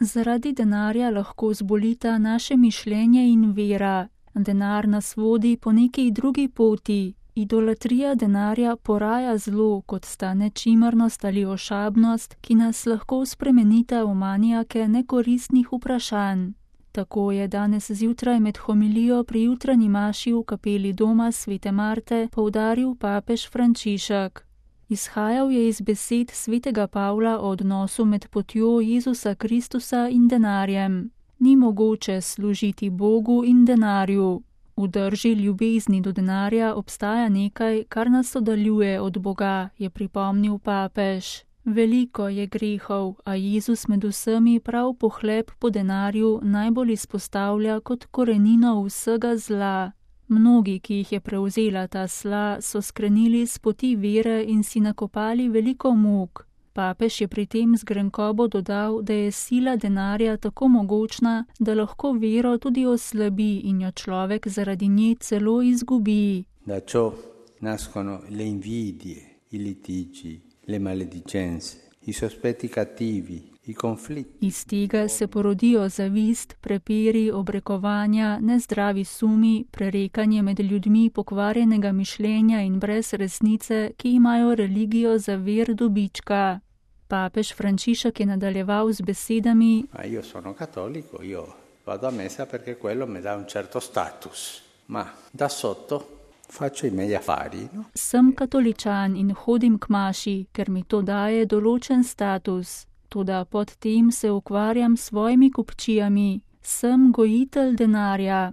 Zaradi denarja lahko zbolita naše mišljenje in vera. Denar nas vodi po neki drugi poti. Idolatrija denarja poraja zlo, kot sta nečimrnost ali ošabnost, ki nas lahko spremenita v manijake nekoristnih vprašanj. Tako je danes zjutraj med homilijo pri jutranji maši v kapeli doma svete Marte poudaril papež Frančišek. Izhajal je iz besed svetega Pavla o odnosu med potjo Jezusa Kristusa in denarjem. Ni mogoče služiti Bogu in denarju. V drži ljubezni do denarja obstaja nekaj, kar nas oddaljuje od Boga, je pripomnil papež. Veliko je grehov, a Jezus med vsemi prav pohlep po denarju najbolj izpostavlja kot korenino vsega zla. Mnogi, ki jih je prevzela ta sla, so skrenili s poti vere in si nakopali veliko muk. Papež je pri tem z grenkobo dodal, da je sila denarja tako mogočna, da lahko vero tudi oslabi in jo človek zaradi nje celo izgubi. Da ciò nascono le invidie, i litigi, le maledicenze, i sospetti cattivi, i conflitti. Iz tega se porodijo zavist, prepiri, obrekovanja, nezdravi sumi, prerekanje med ljudmi pokvarjenega mišljenja in brez resnice, ki imajo religijo za vir dobička. Papež Frančišek je nadaljeval z besedami: Io sono cattolico, io vado a messa perché quello mi dà un certo status, ma da sotto faccio i miei affari, no? Sem katoličan in hodim k maši, ker mi to daje določen status. Toda pod tem se ukvarjam s svojimi kupčijami. Sem gojitelj denarja.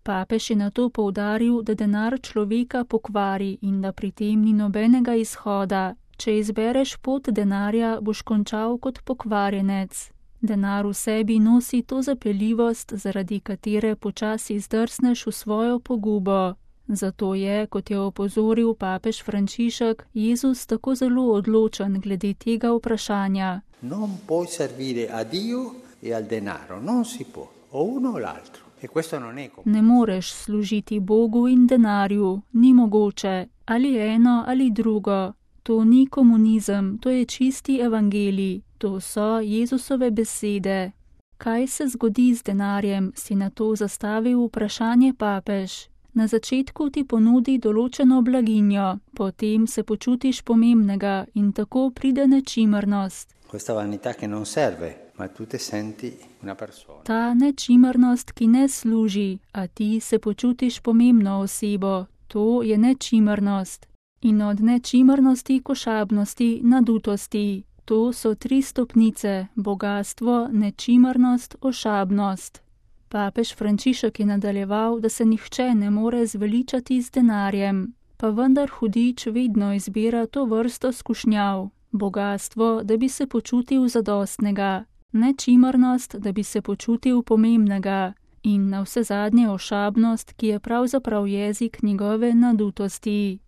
Papež je nato poudaril, da denar človeka pokvari in da pri tem ni nobenega izhoda. Če izbereš pot denarja, boš končal kot pokvarjenec. Denar v sebi nosi to zapeljivost, zaradi katere počasi zdrsneš v svojo pogubo. Zato je, kot je opozoril papež Frančišek, Jezus tako zelo odločen glede tega vprašanja. Non puoi servire a Dio e al denaro, non si può, o uno o l'altro. E questo non è come. Ne moreš služiti Bogu in denarju, ni mogoče, ali eno ali drugo. To ni komunizem, to je čisti evangelij, to so Jezusove besede. Kaj se zgodi z denarjem, si nato zastavil vprašanje papež. Na začetku ti ponudi določeno blaginjo, potem se počutiš pomembnega in tako pride nečimrnost. Questa vanità che non serve, ma tu te senti una persona. Ta nečimrnost, ki ne služi, a ti se počutiš pomembno osebo, to je nečimrnost. In od nečimrnosti k ošabnosti, nadutosti. To so 3 stopnice: bogastvo, nečimrnost, ošabnost. Papež Frančišek je nadaljeval, da se nihče ne more zveličati z denarjem, pa vendar hudič vedno izbira to vrsto skušnjav. Bogastvo, da bi se počutil zadostnega, nečimrnost, da bi se počutil pomembnega in navsezadnje ošabnost, ki je pravzaprav jezik njegove nadutosti.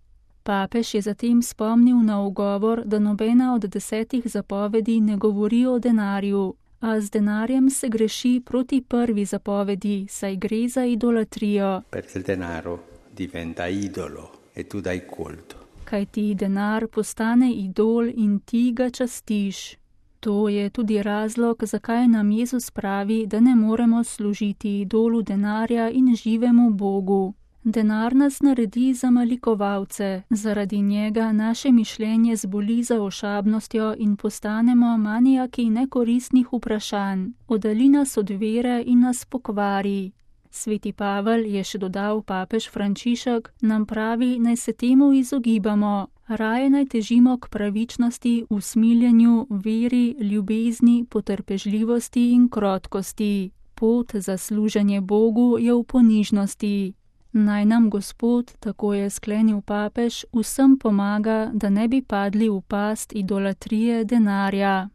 Papež je zatem spomnil na ugovor, da nobena od 10 zapovedi ne govori o denarju, a z denarjem se greši proti prvi zapovedi, saj gre za idolatrijo. Perché il denaro diventa idolo e tu dai culto. Kaj ti denar postane idol in ti ga častiš. To je tudi razlog, zakaj nam Jezus pravi, da ne moremo služiti idolu denarja in živemu Bogu. Denar nas naredi za malikovalce, zaradi njega naše mišljenje zboli za ošabnostjo in postanemo manijaki nekoristnih vprašanj, oddalji nas od vere in nas pokvari. Sveti Pavel, je še dodal papež Frančišek, nam pravi, naj se temu izogibamo, raje naj težimo k pravičnosti, usmiljenju, veri, ljubezni, potrpežljivosti in krotkosti. Pot za služenje Bogu je v ponižnosti. Naj nam Gospod, tako je sklenil papež, vsem pomaga, da ne bi padli v past idolatrije denarja.